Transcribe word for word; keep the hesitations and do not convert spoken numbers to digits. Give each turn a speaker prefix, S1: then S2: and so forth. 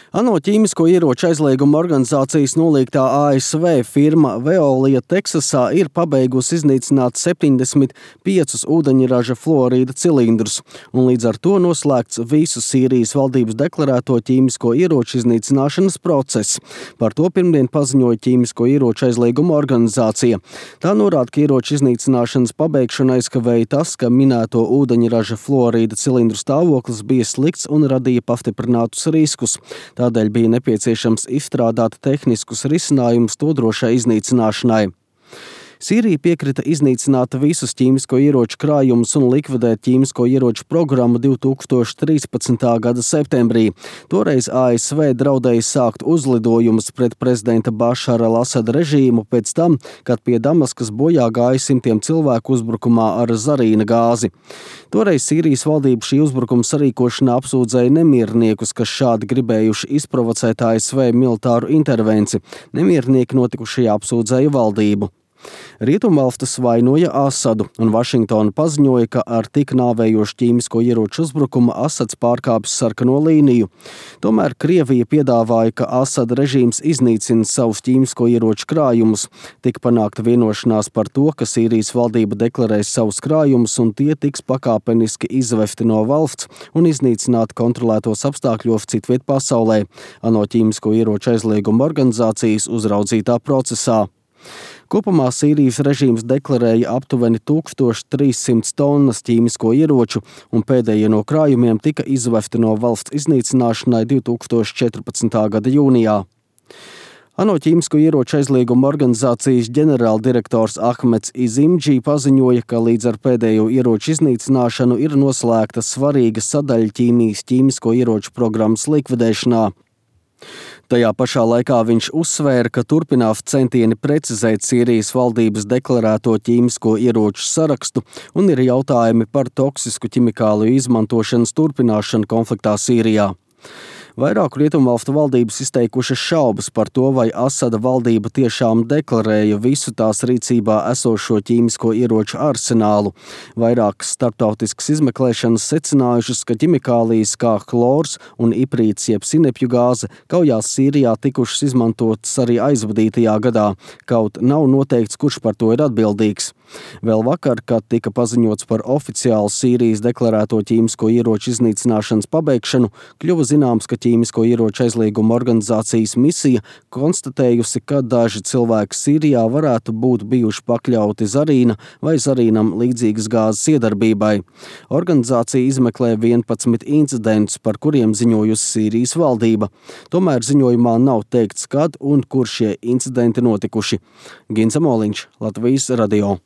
S1: ANO ķīmisko ieroču aizlieguma organizācijas nolīgtā A S V firma Veolia Teksasā ir pabeigusi iznīcināt septiņdesmit piecus ūdeņraža fluorīda cilindrus, un līdz ar to noslēgts visu Sīrijas valdības deklarēto ķīmisko ieroču iznīcināšanas process. Par to pirmdien paziņoja ķīmisko ieroču aizlieguma organizācija. Tā norāda, ka ieroču iznīcināšanas pabeigšanu aizkavēja tas, ka minēto ūdeņraža fluorīda cilindru stāvoklis bija slikts un radīja pastiprinātus riskus. Tādēļ bija nepieciešams izstrādāt tehniskus risinājumus to drošai iznīcināšanai. Sīrija piekrita iznīcināt visus ķīmisko ieroču krājumus un likvidēt ķīmisko ieroču programmu divi tūkstoši trīspadsmitā gada septembrī. Toreiz A S V draudēja sākt uzlidojumus pret prezidenta Bašara al-Asada režīmu pēc tam, kad pie Damaskas bojā gāja simtiem cilvēku uzbrukumā ar zarīna gāzi. Toreiz Sīrijas valdība šī uzbrukuma sarīkošanā apsūdzēja nemierniekus, kas šādi gribējuši izprovocēt A S V militāru intervenci. Nemiernieki notikušajā apsūdzēja valdību. Rietumvalstis vainoja Asadu, un Vašingtona paziņoja, ka ar tik nāvējošu ķīmisko ieroču uzbrukumu Asads pārkāpis sarkano līniju. Tomēr Krievija piedāvāja, ka Asada režīms iznīcina savus ķīmisko ieroču krājumus. Tika panākta vienošanās par to, ka Sīrijas valdība deklarēs savus krājumus, un tie tiks pakāpeniski izvesti no valsts un iznīcināti kontrolētos apstākļos citviet pasaulē, ANO ķīmisko ieroču aizlieguma organizācijas uzraudzītā procesā. Kopumā Sīrijas režīms deklarēja aptuveni tūkstoš trīssimtas tonnas ķīmisko ieroču, un pēdējie no krājumiem tika izvesti no valsts iznīcināšanai divi tūkstoši četrpadsmitā gada jūnijā. ANO ķīmisko ieroču aizlieguma organizācijas ģenerāldirektors Ahmeds Izimdži paziņoja, ka līdz ar pēdējo ieroču iznīcināšanu ir noslēgta svarīga sadaļa ķīmijas ķīmisko ieroču programmas likvidēšanā. Tajā pašā laikā viņš uzsvēra, ka turpinās centieni precizēt Sīrijas valdības deklarēto ķīmisko ieroču sarakstu un ir jautājumi par toksisku ķimikāliju izmantošanas turpināšanu konfliktā Sīrijā. Vairāku rietumvalstu valdības izteikušas šaubas par to, vai Asada valdība tiešām deklarēja visu tās rīcībā esošo ķīmisko ieroču arsenālu. Vairākas starptautiskas izmeklēšanas secinājušas, ka ķimikālijas kā chlors un iprīts jeb sinepju gāze kaujās Sīrijā tikušas izmantotas arī aizvadītajā gadā, kaut nav noteikts, kurš par to ir atbildīgs. Vēl vakar, kad tika paziņots par oficiālu Sīrijas deklarēto ķīmisko ieroču iznīcināšanas pabeigšanu, kļuva zināms, ka ķīmisko ieroču aizlieguma organizācijas misija konstatējusi, ka daži cilvēki Sīrijā varētu būt bijuši pakļauti zarīna vai zarīnam līdzīgas gāzes iedarbībai. Organizācija izmeklē vienpadsmit incidentus, par kuriem ziņojusi Sīrijas valdība. Tomēr ziņojumā nav teikts, kad un kur šie incidenti notikuši. Gins Amoliņš, Latvijas radio.